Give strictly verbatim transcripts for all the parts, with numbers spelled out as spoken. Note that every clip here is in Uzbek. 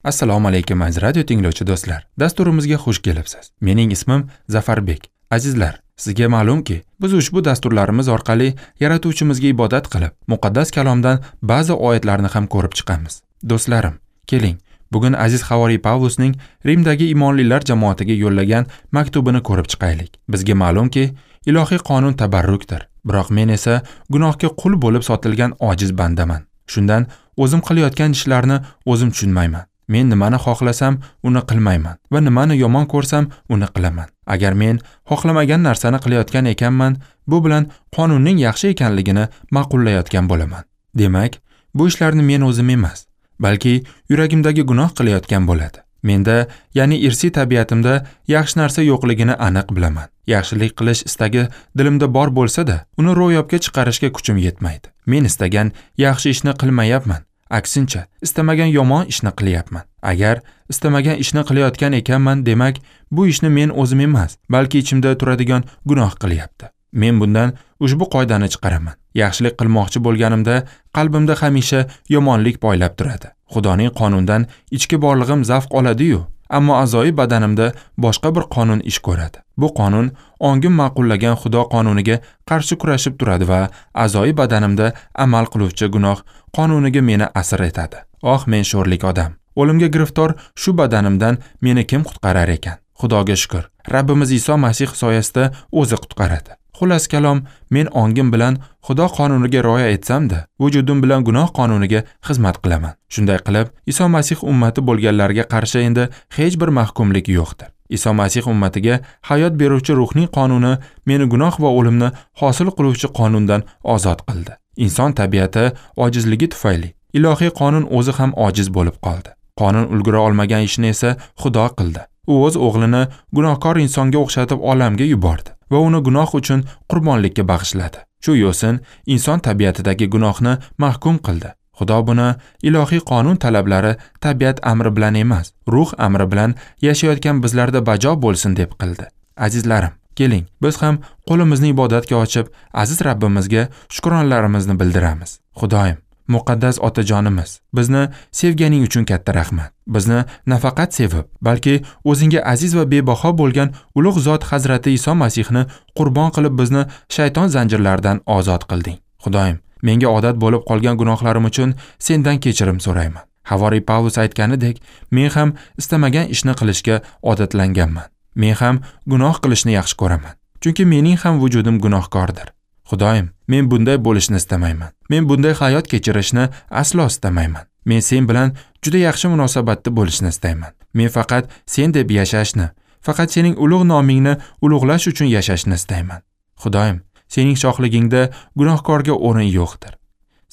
Assalomu alaykum aziz radio tinglovchi do'stlar. Dasturimizga xush kelibsiz. Mening ismim Zafarbek. Azizlar, sizga ma'lumki, biz ushbu dasturlarimiz orqali Yaratuvchimizga ibodat qilib, muqaddas kalomdan ba'zi oyatlarni ham ko'rib chiqamiz. Do'stlarim, keling, bugun aziz havoriy Pavlusning Rimdagi imonlilar jamoatiga yo'llagan maktubini ko'rib chiqaylik. Bizga ma'lumki, ilohiy qonun tabarrukdir. Biroq men esa gunohga qul bo'lib sotilgan ojiz bandaman. Shundan o'zim qilayotgan ishlarni o'zim tushunmayman. Men nimani xohlasam, uni qilmayman va nimani yomon ko'rsam, uni qilaman. Agar men xohlamagan narsani qilayotgan ekanman, bu bilan qonunning yaxshi ekanligini ma'qullayotgan bo'laman. Demak, bu ishlarni men o'zim emas, balki yuragimdagi gunoh qilayotgan bo'ladi. Menda, ya'ni irsiy tabiatimda yaxshi narsa yo'qligini aniq bilaman. Yaxshilik qilish istagi dilimda bor bo'lsa-da, uni ro'yobga chiqarishga kuchim yetmaydi. Men istagan yaxshi ishni qilmayapman. Aksincha, istamagan yomon ishni qilyapman. Agar istamagan ishni qilayotgan ekanman, demak, bu ishni men o'zim emas, balki ichimda turadigan gunoh qilyapti. Men bundan ushbu qoidani chiqaraman. Yaxshilik qilmoqchi bo'lganimda qalbimda hamisha yomonlik poylab turadi. Xudoning qonundan ichki borlig'im zavq oladi-yu, ammo a'zoyi badanimda boshqa bir qonun ish ko'radi. Bu qonun ongim ma'qullagan Xudo qonuniga qarshi kurashib turadi va a'zoyi badanimda amal qiluvchi gunoh qonuniga meni asir etadi. Oh, men sho'rlik odam. O'limga giriftor shu badanimdan meni kim qutqarar ekan? Xudoga shukr, Rabbimiz Iso Masih soyasida o'zi qutqaradi. Xullas kalom, men ongim bilan Xudo qonuniga rioya etsam-da, vujudim bilan gunoh qonuniga xizmat qilaman. Shunday qilib, Iso Masih ummati bo'lganlarga qarshi endi hech bir mahkumlik yo'qdir. Iso Masih ummatiga hayot beruvchi ruhning qonuni meni gunoh va o'limni hosil qiluvchi qonundan ozod qildi. Inson tabiati ojizligi tufayli ilohiy qonun o'zi ham ojiz bo'lib qoldi. Qonun ulgura olmagan ishni esa Xudo qildi. U o'z o'g'lini gunohkor insonga o'xshatib olamga yubordi va uni gunoh uchun qurbonlikka bag'ishladi. Shu yo'sin inson tabiatidagi gunohni mahkum qildi. Xudo buni ilohiy qonun talablari tabiat amri bilan emas, ruh amri bilan yashayotgan bizlarda bajo bo'lsin deb qildi. Azizlarim, keling, biz ham qo'limizni ibodatga ochib, aziz Rabbimizga shukronlarimizni bildiramiz. Xudoyim, muqaddas otajonimiz, bizni sevganing uchun katta rahmat. Bizni nafaqat sevib, balki o'zingga aziz va bebaho bo'lgan ulug' zot Hazrati Iso Masihni qurbon qilib bizni shayton zanjirlaridan ozod qilding. Xudoyim, menga odat bo'lib qolgan gunohlarim uchun sendan kechirim so'rayman. Havoriy Pavlus aytganidek, men ham istamagan ishni qilishga odatlanganman. Men ham gunoh qilishni yaxshi ko'raman. Chunki mening ham vujudim gunohkordir. Xudoyim, men bunday bo'lishni istamayman. Men bunday hayot kechirishni aslo istamayman. Men sen bilan juda yaxshi munosabatda bo'lishni istayman. Men faqat sen deb yashashni, faqat sening ulug' nomingni ulug'lash uchun yashashni istayman. Xudoyim, sening shohligingda gunohkorga o'rin yo'qdir.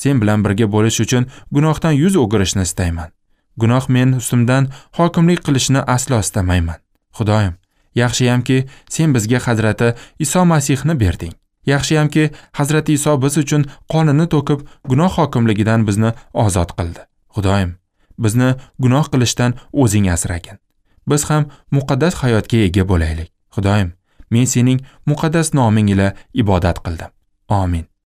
Sen bilan birga bo'lish uchun gunohdan yuz o'girishni istayman. Gunoh men ustimdan hokimlik qilishni aslo istamayman. Xudoyim, yaxshiyamki sen bizga Hazrati Iso Masihni berding. Yaxshiyamki Hazrati Iso biz uchun qonini to'kib, gunoh hokimligidan bizni ozod qildi. Xudoyim, bizni gunoh qilishdan o'zing asragin. Biz ham muqaddas hayotga ega bo'laylik. Xudoyim, men sening muqaddas noming ila ibodat qildim. Amin.